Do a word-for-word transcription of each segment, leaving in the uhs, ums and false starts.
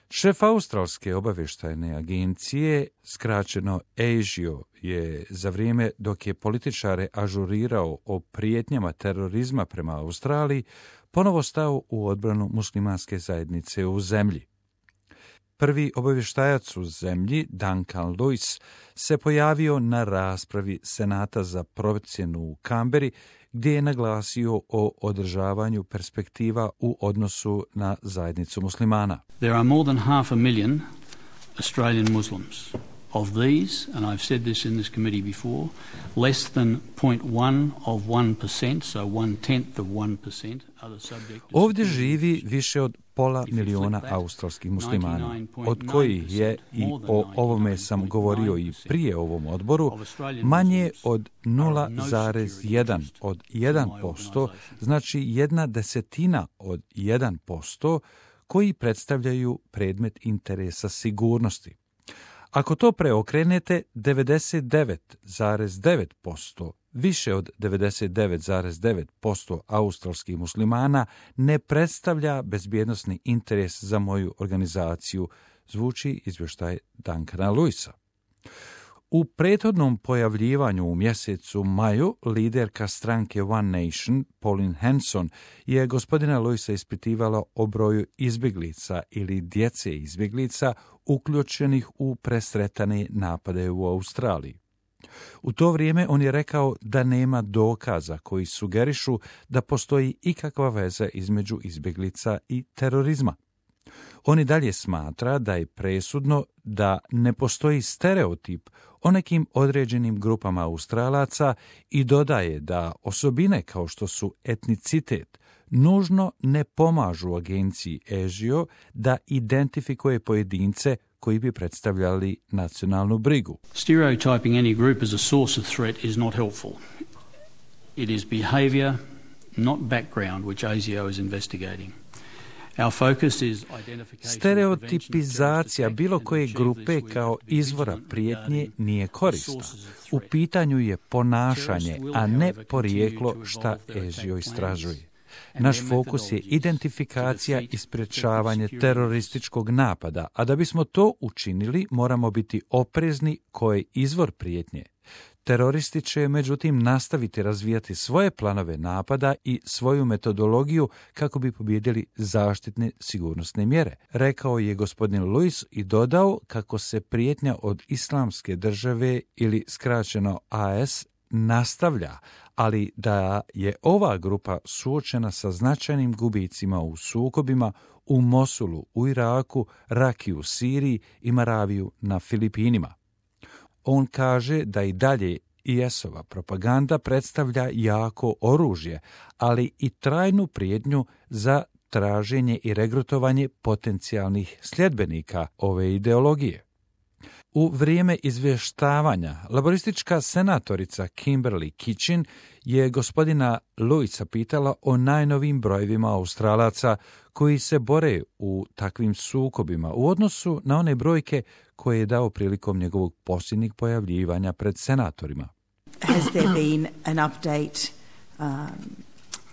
Šef australske obavještajne agencije, skraćeno ASIO, je za vrijeme dok je političare ažurirao o prijetnjama terorizma prema Australiji, ponovo stao u odbranu muslimanske zajednice u zemlji. Prvi obavještajac u zemlji, Duncan Lewis, se pojavio na raspravi Senata za procjenu u Kamberi, gdje je naglasio o održavanju perspektiva u odnosu na zajednicu muslimana. There are more than half a million Australian Muslims. Of these, and I've said this in this committee before, less than zero point one of one percent, so one tenth of one percent, are the subject of... Ovdje živi više od pola miliona australskih muslimana, od kojih je, i o ovome sam govorio i prije ovom odboru, manje od nula zarez jedan od jedan posto, znači jedna desetina od jedan posto, koji predstavljaju predmet interesa sigurnosti. Ako to preokrenete, devedeset devet zarez devet posto, više od devedeset devet zarez devet posto australskih muslimana ne predstavlja bezbjednosni interes za moju organizaciju, zvuči izvještaj Duncana Lewisa. U prethodnom pojavljivanju u mjesecu maju liderka stranke One Nation, Pauline Hanson, je gospodina Lewisa ispitivala o broju izbjeglica ili djece izbjeglica uključenih u presretane napade u Australiji. U to vrijeme on je rekao da nema dokaza koji sugerišu da postoji ikakva veza između izbjeglica i terorizma. On i dalje smatra da je presudno da ne postoji stereotip o nekim određenim grupama Australaca i dodaje da osobine kao što su etnicitet nužno ne pomažu agenciji ASIO da identifikuje pojedince koji bi predstavljali nacionalnu brigu. Stereotyping any group as a source of threat is not helpful. It is behavior, not background, which ASIO is investigating. Stereotipizacija bilo koje grupe kao izvora prijetnje nije korisna. U pitanju je ponašanje, a ne porijeklo šta ASIO istražuje. Naš fokus je identifikacija i sprječavanje terorističkog napada, a da bismo to učinili moramo biti oprezni koji je izvor prijetnje. Teroristi će, međutim, nastaviti razvijati svoje planove napada i svoju metodologiju kako bi pobijedili zaštitne sigurnosne mjere, rekao je gospodin Lewis i dodao kako se prijetnja od islamske države ili skraćeno A S nastavlja, ali da je ova grupa suočena sa značajnim gubicima u sukobima u Mosulu, u Iraku, Raki u Siriji i Maraviju na Filipinima. On kaže da i dalje I S-ova propaganda predstavlja jako oružje, ali i trajnu prijetnju za traženje i regrutovanje potencijalnih sljedbenika ove ideologije. U vrijeme izvještavanja, laboristička senatorica Kimberly Kitchen je gospodina Lewisa pitala o najnovim brojevima Australaca koji se bore u takvim sukobima u odnosu na one brojke koje je dao prilikom njegovog posljednjeg pojavljivanja pred senatorima. Has there been an update um,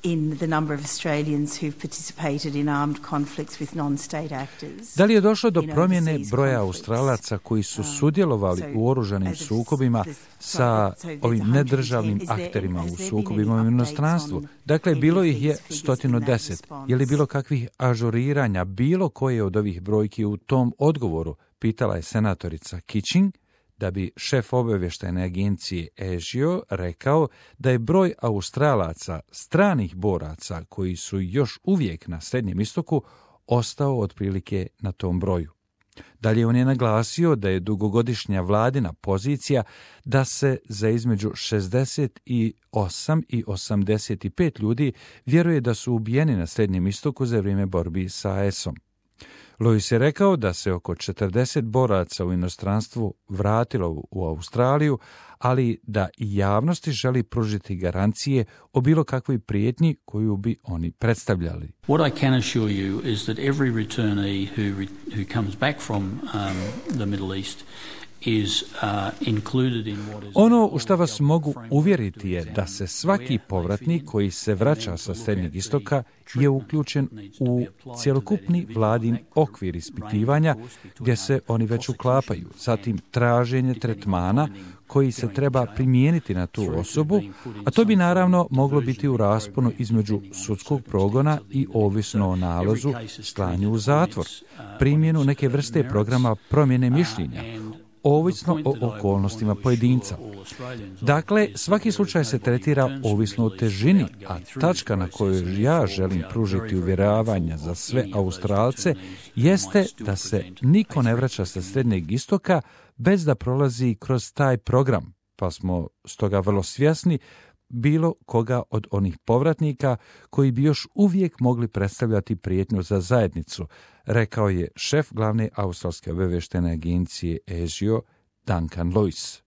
in the number of Australians who've participated in armed conflicts with non-state actors? Da li je došlo do promjene broja Australaca koji su sudjelovali u oružanim sukobima sa ovim nedržavnim akterima u sukobima u inostranstvu? Dakle, bilo ih je sto deset. Je li bilo kakvih ažuriranja, bilo koje od ovih brojki u tom odgovoru, pitala je senatorica Kitching, da bi šef obavještajne agencije ASIO rekao da je broj Australaca, stranih boraca koji su još uvijek na Srednjem istoku, ostao otprilike na tom broju. Dalje on je naglasio da je dugogodišnja vladina pozicija da se za između šezdeset osam i osamdeset pet ljudi vjeruje da su ubijeni na Srednjem istoku za vrijeme borbi sa A S-om. Lewis je rekao da se oko četrdeset boraca u inostranstvu vratilo u Australiju, ali da i javnosti želi pružiti garancije o bilo kakvoj prijetnji koju bi oni predstavljali. What I can assure you is that every returnee who, re, who comes back from um, the Middle East is, uh, included in what is Ono u što vas mogu uvjeriti je da se svaki povratnik koji se vraća sa Srednjeg istoka je uključen u cjelokupni vladin okvir ispitivanja gdje se oni već uklapaju. Zatim traženje tretmana koji se treba primijeniti na tu osobu, a to bi naravno moglo biti u rasponu između sudskog progona i ovisno o nalazu slanju u zatvor, primjenu neke vrste programa promjene mišljenja, ovisno o okolnostima pojedinca. Dakle, svaki slučaj se tretira ovisno o težini, a tačka na kojoj ja želim pružiti uvjeravanja za sve Australce jeste da se niko ne vraća sa Srednjeg istoka bez da prolazi kroz taj program, pa smo stoga vrlo svjesni bilo koga od onih povratnika koji bi još uvijek mogli predstavljati prijetnju za zajednicu, rekao je šef glavne australske obavještajne agencije A S I O, Duncan Lewis.